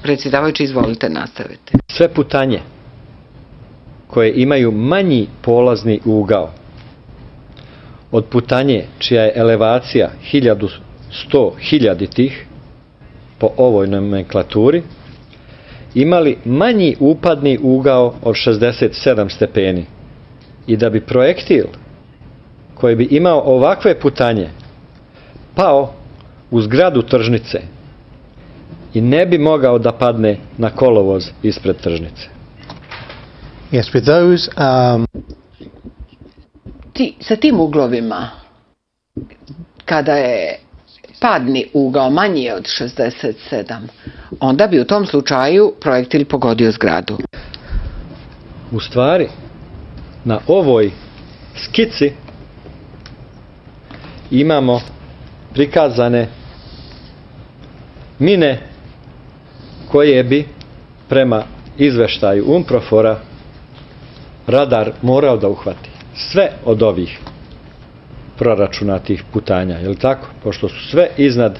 Predsjedavajući, izvolite, nastavite. Sve putanje koje imaju manji polazni ugao od putanje čija je elevacija 1100 hiljaditih po ovoj nomenklaturi, imali manji upadni ugao od 67 stepeni i da bi projektil koji bi imao ovakve putanje pao u zgradu tržnice i ne bi mogao da padne na kolovoz ispred tržnice. Yes, with those, Sa tim uglovima, kada je padni ugao manji od 67, onda bi u tom slučaju projektil pogodio zgradu. U stvari, na ovoj skici imamo prikazane mine koje bi prema izveštaju UNPROFOR-a radar morao da uhvati. Sve od ovih proračunatih putanja, je li tako? Pošto su sve iznad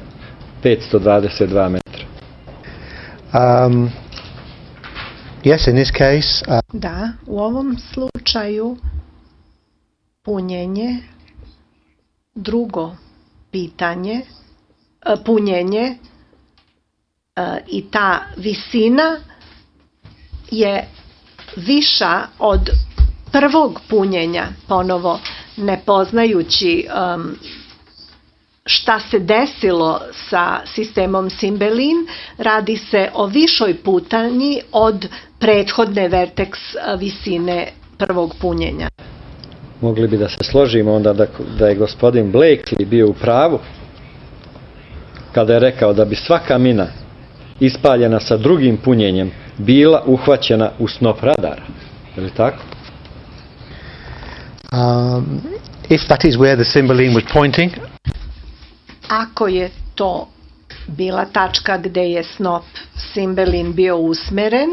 522 metra. yes, in this case, Da, u ovom slučaju punjenje, drugo pitanje, punjenje i ta visina je viša od prvog punjenja, ponovo ne poznajući šta se desilo sa sistemom Simbelin, radi se o višoj putanji od prethodne verteks visine prvog punjenja. Mogli bi da se složimo onda da je gospodin Blakely bio u pravu kada je rekao da bi svaka mina ispaljena sa drugim punjenjem bila uhvaćena u snop radara. Je li tako? if that is where the Cymbeline was pointing, Ako je to bila tačka gde je snop Simbelin bio usmeren,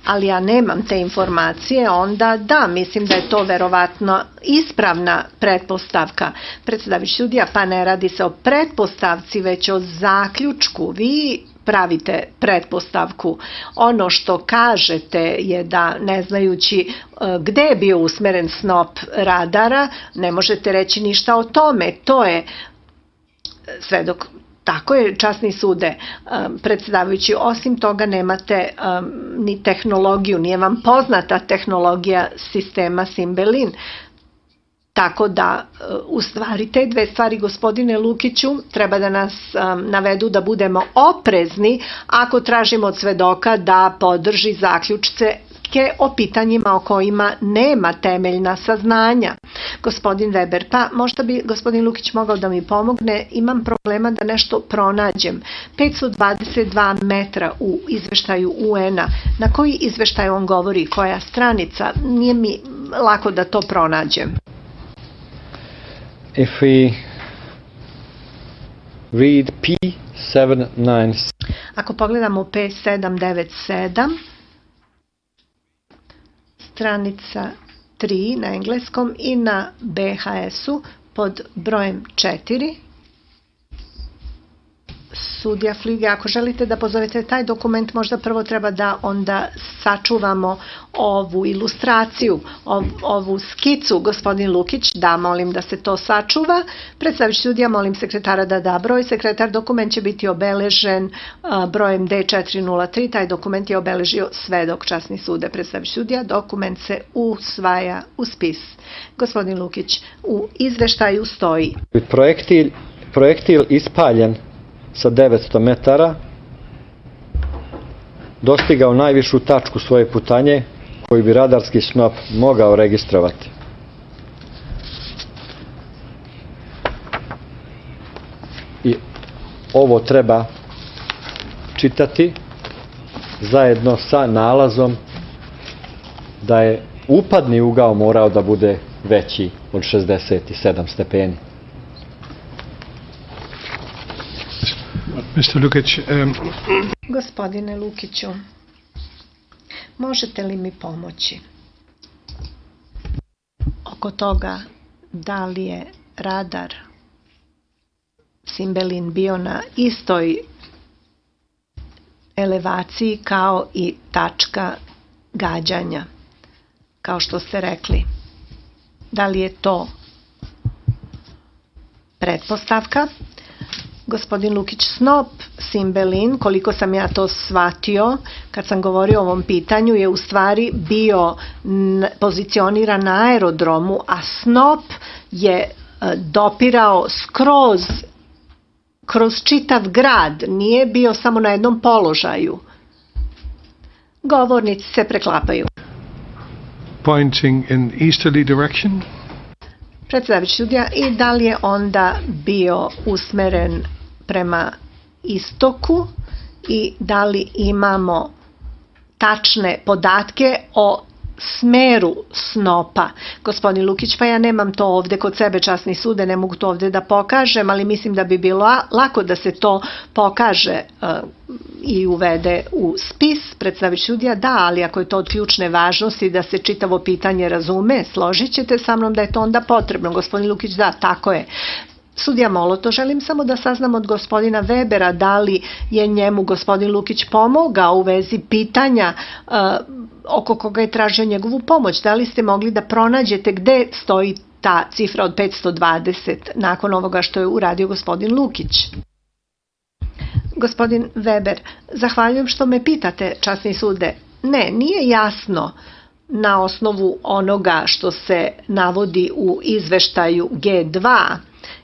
ali ja nemam te informacije, onda da, mislim da je to verovatno ispravna pretpostavka. Predsedavajući sudija, pa ne radi se o pretpostavci, već o zaključku. Vi pravite pretpostavku. Ono što kažete je da, ne znajući gde je bio usmeren snop radara, ne možete reći ništa o tome. To je svedok. Tako je, časni sude, predsedavajući, osim toga nemate ni tehnologiju, nije vam poznata tehnologija sistema Simbelin. Tako da, u stvari, te dve stvari, gospodine Lukiću, treba da nas navedu da budemo oprezni ako tražimo od svedoka da podrži zaključke o pitanjima o kojima nema temeljna saznanja. Gospodin Weber, pa možda bi gospodin Lukić mogao da mi pomogne, imam problema da nešto pronađem. 522 metra u izveštaju UN-a, na koji izveštaj on govori, koja stranica, nije mi lako da to pronađem. If we read P797, Ako pogledamo P797, stranica 3 na engleskom i na BHS-u pod brojem 4. Sudija Flige, ako želite da pozovete taj dokument, možda prvo treba da onda sačuvamo ovu ilustraciju, ovu skicu. Gospodin Lukić, da, molim da se to sačuva. Predstavljajući sudija, molim sekretara da da broj. Sekretar, dokument će biti obeležen brojem D403. Taj dokument je obeležio svedok, časni sude. Predstavljajući sudija, dokument se usvaja u spis. Gospodin Lukić, u izveštaju stoji: projektil ispaljen sa 900 metara dostigao najvišu tačku svoje putanje koju bi radarski snop mogao registrovati. I ovo treba čitati zajedno sa nalazom da je upadni ugao morao da bude veći od 67 stepeni. Mr. Lukić, Gospodine Lukiću, možete li mi pomoći oko toga da li je radar Simbelin bio na istoj elevaciji kao i tačka gađanja, kao što ste rekli. Da li je to pretpostavka? Gospodin Lukić, snop Simbelin, koliko sam ja to shvatio kad sam govorio o ovom pitanju, je u stvari bio pozicioniran na aerodromu, a snop je dopirao kroz čitav grad, nije bio samo na jednom položaju. Govornici se preklapaju. Pointing in easterly direction? Predsjedavajući sudija, i da li je onda bio usmeren prema istoku i da li imamo tačne podatke o smeru snopa? Gospodin Lukić, pa ja nemam to ovde kod sebe, časni sude, ne mogu to ovde da pokažem, ali mislim da bi bilo lako da se to pokaže i uvede u spis. Predsjedavajući sudija, da, ali ako je to od ključne važnosti da se čitavo pitanje razume, složit ćete sa mnom da je to onda potrebno. Gospodin Lukić, da, tako je. Sudija Moloto, želim samo da saznam od gospodina Webera da li je njemu gospodin Lukić pomogao u vezi pitanja oko koga je tražio njegovu pomoć. Da li ste mogli da pronađete gde stoji ta cifra od 520 nakon ovoga što je uradio gospodin Lukić? Gospodin Weber, zahvaljujem što me pitate, časni sude. Ne, nije jasno na osnovu onoga što se navodi u izveštaju G2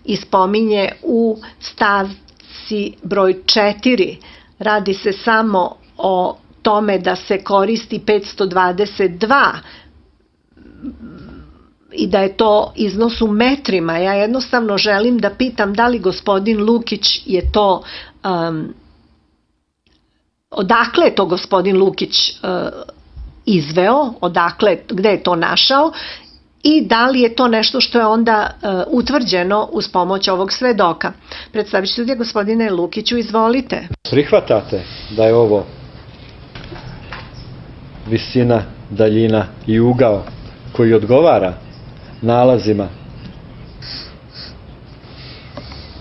i spominje u stavci broj 4. Radi se samo o tome da se koristi 522 i da je to iznos u metrima. Ja jednostavno želim da pitam da li gospodin Lukić je to, odakle je to gospodin Lukić izveo, odakle, gde je to našao i da li je to nešto što je onda utvrđeno uz pomoć ovog svedoka. Predstavit ću gospodine Lukiću, izvolite. Prihvatate da je ovo visina, daljina i ugao koji odgovara nalazima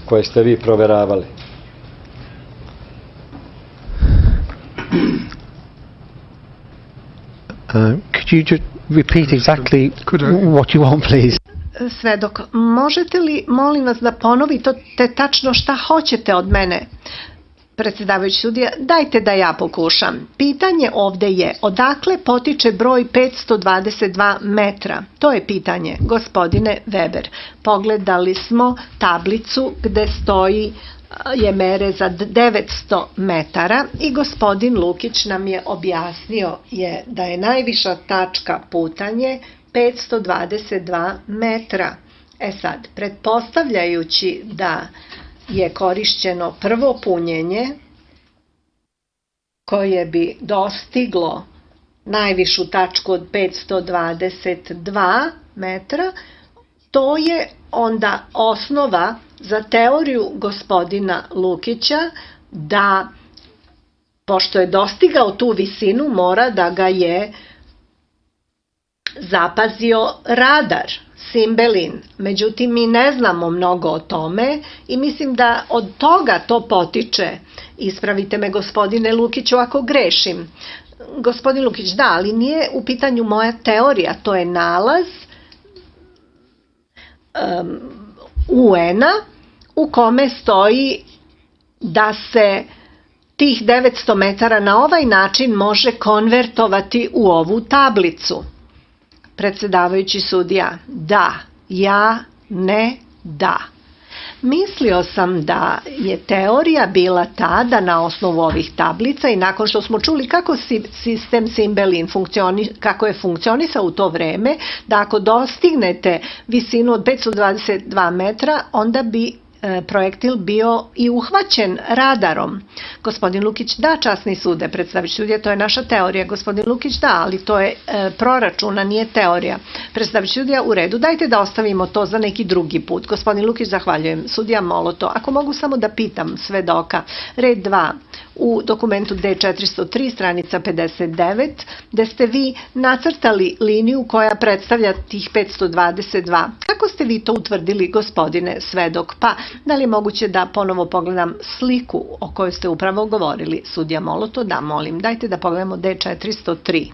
koje ste vi proveravali? Could you just repeat exactly what you want, please? Svedok, možete li, molim vas, da ponovite tačno šta hoćete od mene? Predsjedavajući sudija, dajte da ja pokušam. Pitanje ovde je, odakle potiče broj 522 metra? To je pitanje, gospodine Weber. Pogledali smo tablicu gde stoji je mere za 900 metara i gospodin Lukić nam je objasnio da je najviša tačka putanje 522 metra. E sad, pretpostavljajući da je korišćeno prvo punjenje koje bi dostiglo najvišu tačku od 522 metra, to je onda osnova za teoriju gospodina Lukića da, pošto je dostigao tu visinu, mora da ga je zapazio radar Simbelin. Međutim, mi ne znamo mnogo o tome i mislim da od toga to potiče. Ispravite me, gospodine Lukiću, ako grešim. Gospodin Lukić, da, ali nije u pitanju moja teorija, to je nalaz UN-a u kome stoji da se tih 900 metara na ovaj način može konvertovati u ovu tablicu. Predsjedavajući sudija, da, ja, ne, da. Mislio sam da je teorija bila ta da na osnovu ovih tablica i nakon što smo čuli kako sistem Simbelin kako je funkcionisao u to vreme, da ako dostignete visinu od 522 metra, onda bi projektil bio i uhvaćen radarom. Gospodin Lukić, da, časni sude, predstavit sudija, to je naša teorija. Gospodin Lukić, da, ali to je proračuna, nije teorija. Predstavit sudija, u redu, dajte da ostavimo to za neki drugi put. Gospodin Lukić, zahvaljujem. Sudija Moloto, ako mogu samo da pitam svedoka, red 2, u dokumentu D403, stranica 59, gde ste vi nacrtali liniju koja predstavlja tih 522. Kako ste vi to utvrdili, gospodine svedok? Pa, da li je moguće da ponovo pogledam sliku o kojoj ste upravo govorili? Sudija Moloto, da, molim. Dajte da pogledamo D403.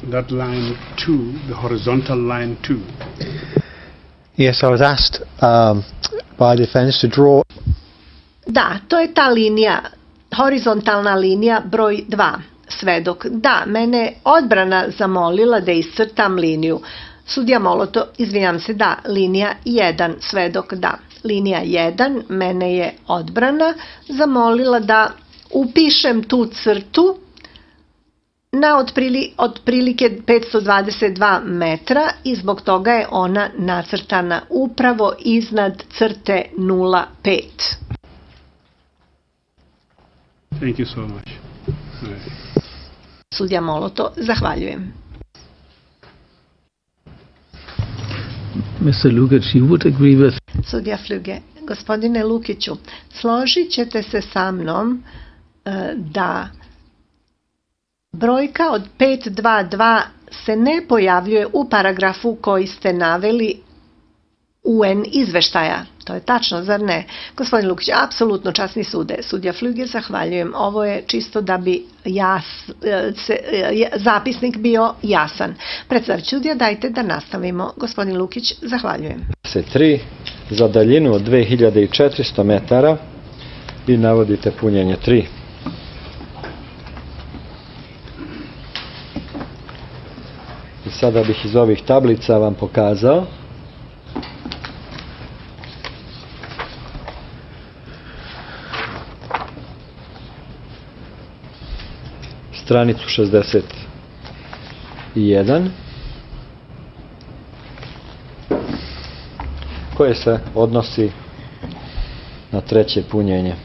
That line 2, the horizontal line 2. Yes, I was asked by the defense to draw. Da, to je ta linija, horizontalna linija broj 2, svedok. Da, mene odbrana zamolila da iscrtam liniju. Sudija Moloto, izvinjam se, da, linija 1, svedok, da. Linija 1, mene je odbrana zamolila da upišem tu crtu na otprilike 522 metra i zbog toga je ona nacrtana upravo iznad crte 0,5. Thank you so much. Sudija Moloto, zahvaljujem. Mr. Lukic, you would agree with... Sudija Flüge, gospodine Lukiću, složit ćete se sa mnom da brojka od 522 se ne pojavljuje u paragrafu koji ste naveli UN izveštaja. To je tačno, zar ne? Gospodin Lukić, apsolutno, časni sude. Sudija Flüge, zahvaljujem. Ovo je čisto da bi zapisnik bio jasan. Predstavljajući sudija, dajte da nastavimo. Gospodin Lukić, zahvaljujem. 3 za daljinu od 2400 metara i navodite punjenje 3. I sada bih iz ovih tablica vam pokazao stranicu 61 koje se odnosi na treće punjenje.